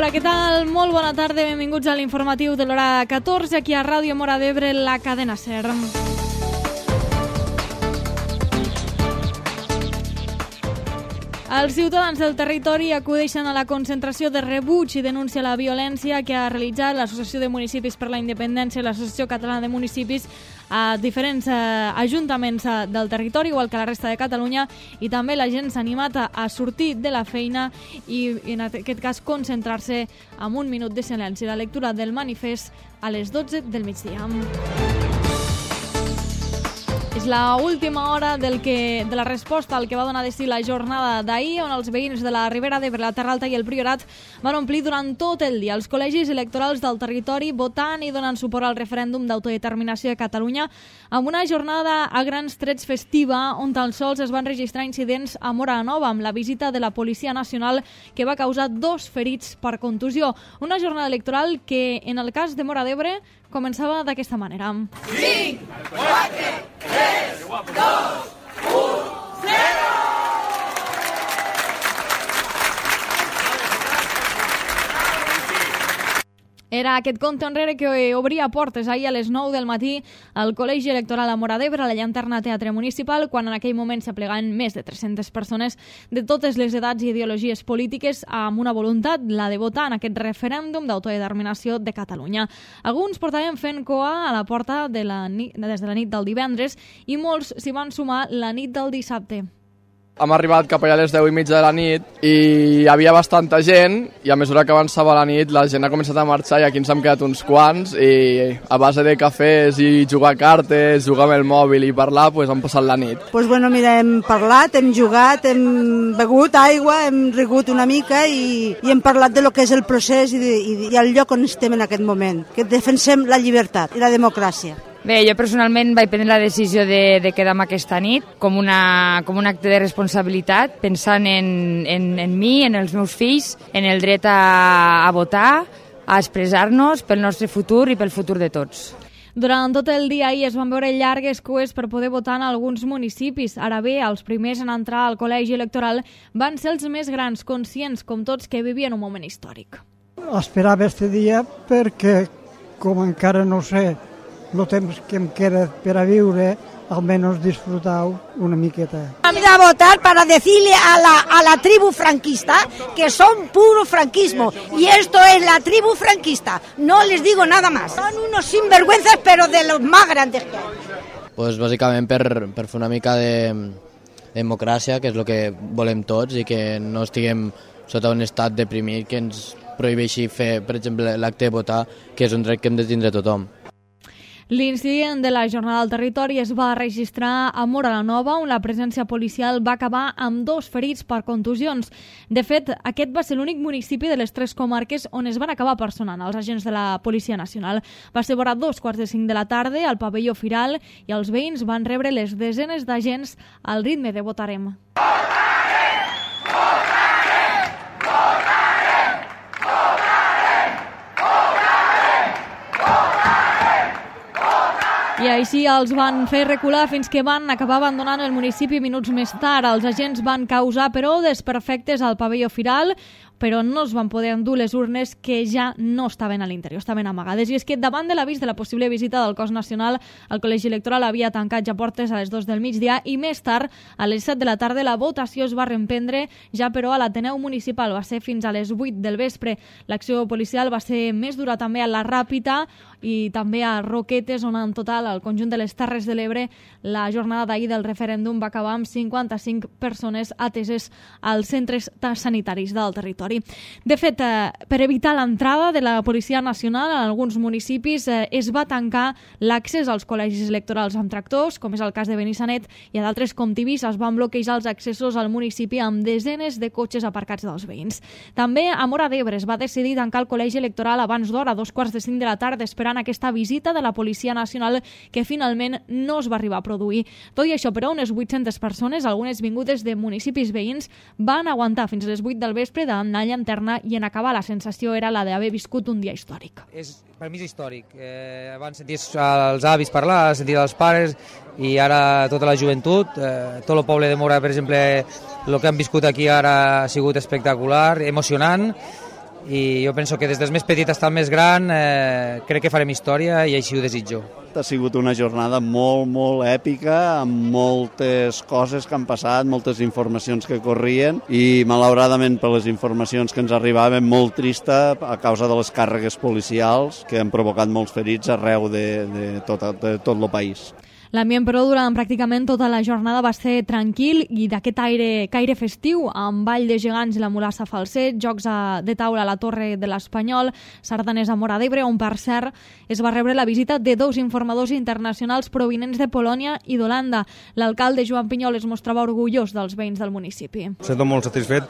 Hola, què tal? Molt bona tarda, benvinguts a l'informatiu de l'hora 14, aquí a Ràdio Móra d'Ebre, la cadena SER. Els ciutadans del territori acudeixen a la concentració de rebuig i denúncia a la violència que ha realitzat l'Associació de Municipis per la Independència i l'Associació Catalana de Municipis a diferents ajuntaments del territori, igual que a la resta de Catalunya, i també la gent s'ha animat a sortir de la feina i en aquest cas concentrar-se amb un minut de silenci. La lectura del manifest a les 12 del migdia. És l'última hora de la resposta al que va donar de si la jornada d'ahir, on els veïns de la Ribera d'Ebre, la Terra Alta i el Priorat van omplir durant tot el dia els col·legis electorals del territori votant i donant suport al referèndum d'autodeterminació de Catalunya, amb una jornada a grans trets festiva on tan sols es van registrar incidents a Móra Nova, amb la visita de la Policia Nacional que va causar 2 ferits per contusió. Una jornada electoral que, en el cas de Móra d'Ebre, començava d'aquesta manera. 5, 4, 3, 2, 1, 0! Era aquest compte enrere que obria portes ahir a les 9 del matí al Col·legi Electoral a Móra d'Ebre, a la Llanterna Teatre Municipal, quan en aquell moment s'aplegaven més de 300 persones de totes les edats i ideologies polítiques amb una voluntat, la de votar en aquest referèndum d'autodeterminació de Catalunya. Alguns portaven fent coa a la porta des de la nit del divendres i molts s'hi van sumar la nit del dissabte. Hem arribat cap allà a les 10:30 de la nit i hi havia bastanta gent i a mesura que avançava la nit la gent ha començat a marxar i aquí ens hem quedat uns quants i a base de cafès i jugar a cartes, jugar amb el mòbil i parlar, pues hem passat la nit. Mira, hem parlat, hem jugat, hem begut aigua, hem rigut una mica i hem parlat de lo que és el procés i el lloc on estem en aquest moment, que defensem la llibertat i la democràcia. Bé, jo personalment vaig prendre la decisió de quedar-me aquesta nit com un acte de responsabilitat, pensant en mi, en els meus fills, en el dret a votar, a expressar-nos pel nostre futur i pel futur de tots. Durant tot el dia ahir es van veure llargues cues per poder votar en alguns municipis. Ara bé, els primers en entrar al col·legi electoral van ser els més grans, conscients, com tots, que vivien un moment històric. Esperava este dia perquè, com encara no sé el temps que em queda per a viure, almenys disfrutar una miqueta. Vamos a votar para decirle a la tribu franquista que son puro franquismo y esto es la tribu franquista, no les digo nada más. Son unos sinvergüenzas pero de los más grandes que hay. Pues bàsicament per fer una mica de democràcia, que és el que volem tots i que no estiguem sota un estat deprimit que ens prohibeixi fer, per exemple, l'acte de votar, que és un dret que hem de tindre tothom. L'incident de la jornada del territori es va registrar a Móra Nova, on la presència policial va acabar amb 2 ferits per contusions. De fet, aquest va ser l'únic municipi de les 3 comarques on es van acabar personant els agents de la Policia Nacional. Va ser vora 2:45 de la tarda al pavelló Firal i els veïns van rebre les desenes d'agents al ritme de Votarem. I així els van fer recular fins que van acabar abandonant el municipi minuts més tard. Els agents van causar, però, desperfectes al pavelló Firal, però no es van poder endur les urnes que ja no estaven a l'interior, estaven amagades. I és que davant de l'avís de la possible visita del cos nacional, el col·legi electoral havia tancat ja portes a les 2 del migdia i més tard, a les 7 de la tarda, la votació es va reemprendre, ja però a l'Ateneu Municipal va ser fins a les 8 del vespre. L'acció policial va ser més dura també a la Ràpita i també a Roquetes, on en total al conjunt de les Terres de l'Ebre la jornada d'ahir del referèndum va acabar amb 55 persones ateses als centres sanitaris del territori. De fet, per evitar l'entrada de la Policia Nacional en alguns municipis es va tancar l'accés als col·legis electorals amb tractors, com és el cas de Benissanet, i a d'altres com Tivissa es van bloquejar els accessos al municipi amb desenes de cotxes aparcats dels veïns. També a Móra d'Ebre es va decidir tancar el col·legi electoral abans d'hora, a 2:45 de la tarda, esperant aquesta visita de la Policia Nacional que finalment no es va arribar a produir. Tot i això, però, unes 800 persones, algunes vingudes de municipis veïns, van aguantar fins a les 8 del vespre davant la llanterna i en acabar la sensació era la d'haver viscut un dia històric. Per mi és històric. Abans senties els avis parlar, senties els pares i ara tota la joventut, tot el poble de Móra, per exemple, el que han viscut aquí ara ha sigut espectacular, emocionant i jo penso que des del més petit fins al més gran crec que farem història i així ho desitjo. Ha sigut una jornada molt, molt èpica, amb moltes coses que han passat, moltes informacions que corrien i, malauradament, per les informacions que ens arribaven, molt trista a causa de les càrregues policials que han provocat molts ferits arreu de tot el país. L'ambient, però, durant pràcticament tota la jornada va ser tranquil i d'aquest caire festiu, amb ball de gegants i la mulassa Falset, jocs de taula a la Torre de l'Espanyol, sardanes a Móra d'Ebre, on, per cert, es va rebre la visita de 2 informadors internacionals provinents de Polònia i d'Holanda. L'alcalde Joan Pinyol es mostrava orgullós dels veïns del municipi. Sento molt satisfet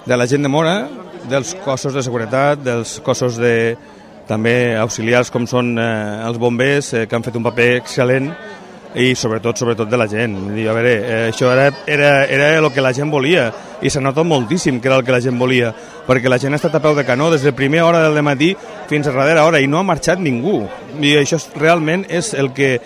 de la gent de Móra, dels cossos de seguretat, dels cossos també auxiliars com són els bombers, que han fet un paper excel·lent, i sobretot de la gent. A veure, això era el que la gent volia i s'ha notat moltíssim que era el que la gent volia, perquè la gent ha estat a peu de canó des de la primera hora del matí fins a darrera hora i no ha marxat ningú. I això realment és el que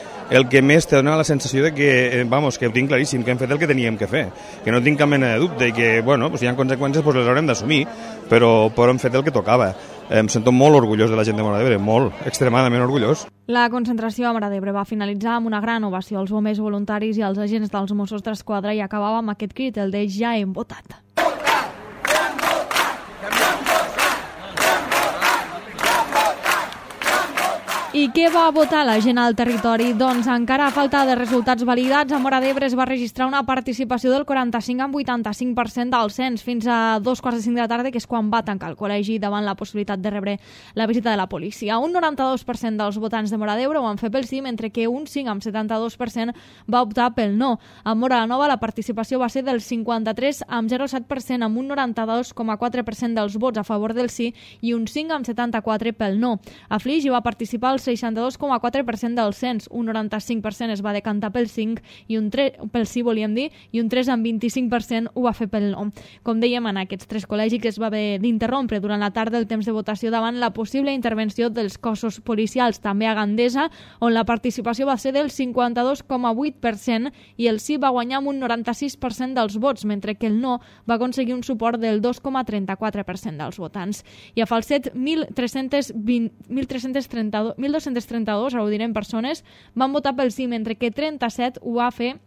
més te dona la sensació de que, que ho tinc claríssim, que hem fet el que teníem que fer, que no tinc cap mena de dubte i que, si hi ha conseqüències les haurem d'assumir, però hem fet el que tocava. Em sento molt orgullós de la gent de Móra d'Ebre, molt, extremadament orgullós. La concentració a Móra d'Ebre va finalitzar amb una gran ovació als bombers voluntaris i als agents dels Mossos d'Esquadra i acabava amb aquest crit, el de ja hem votat. I què va votar la gent al territori? Doncs encara a falta de resultats validats, a Móra d'Ebre es va registrar una participació del 45,85% del cens fins a 2:45 de la tarda, que és quan va tancar el col·legi davant la possibilitat de rebre la visita de la policia. Un 92% dels votants de Móra d'Ebre ho van fer pel sí, mentre que un 5,72% va optar pel no. A Móra la Nova la participació va ser del 53,07%, amb un 92,4% dels vots a favor del sí i un 5,74% pel no. A Flix hi va participar el 62,4% del cens, un 95% es va decantar pel 5 i pel sí, volíem dir, i un 3,25% ho va fer pel no. Com dèiem, en aquests 3 col·legis es va haver d'interrompre durant la tarda el temps de votació davant la possible intervenció dels cossos policials, també a Gandesa, on la participació va ser del 52,8% i el sí va guanyar amb un 96% dels vots, mentre que el no va aconseguir un suport del 2,34% dels votants. I a Falset, 1.232, ara ho direm, persones van votar pel sí, mentre que 37 ho va fer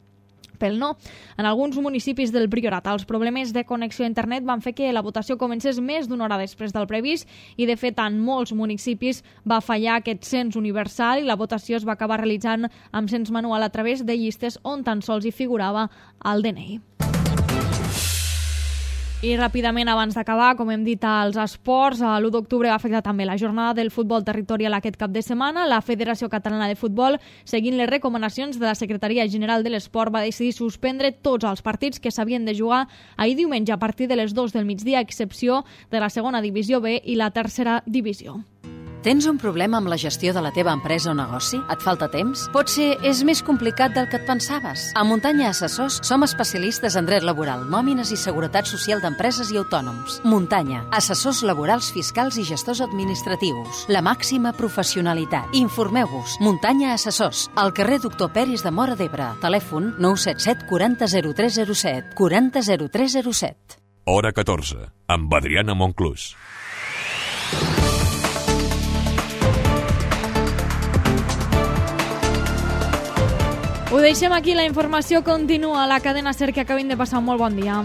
pel no. En alguns municipis del Priorat, els problemes de connexió a internet van fer que la votació comencés més d'una hora després del previst i, de fet, en molts municipis va fallar aquest cens universal i la votació es va acabar realitzant amb cens manual a través de llistes on tan sols hi figurava el DNI. I ràpidament, abans d'acabar, com hem dit als esports, l'1 d'octubre va afectar també la jornada del futbol territorial aquest cap de setmana. La Federació Catalana de Futbol, seguint les recomanacions de la Secretaria General de l'Esport, va decidir suspendre tots els partits que s'havien de jugar ahir diumenge a partir de les 2 del migdia, a excepció de la segona divisió B i la tercera divisió. Tens un problema amb la gestió de la teva empresa o negoci? Et falta temps? Potser és més complicat del que et pensaves. A Muntanya Assessors som especialistes en dret laboral, nòmines i seguretat social d'empreses i autònoms. Muntanya, assessors laborals, fiscals i gestors administratius. La màxima professionalitat. Informeu-vos. Muntanya Assessors, al carrer Doctor Peris de Móra d'Ebre. Telèfon 977 40 0307. 40 0307. Hora 14, amb Adriana Monclús. Ho deixem aquí, la informació continua a la cadena SER, que acabin de passar un molt bon dia.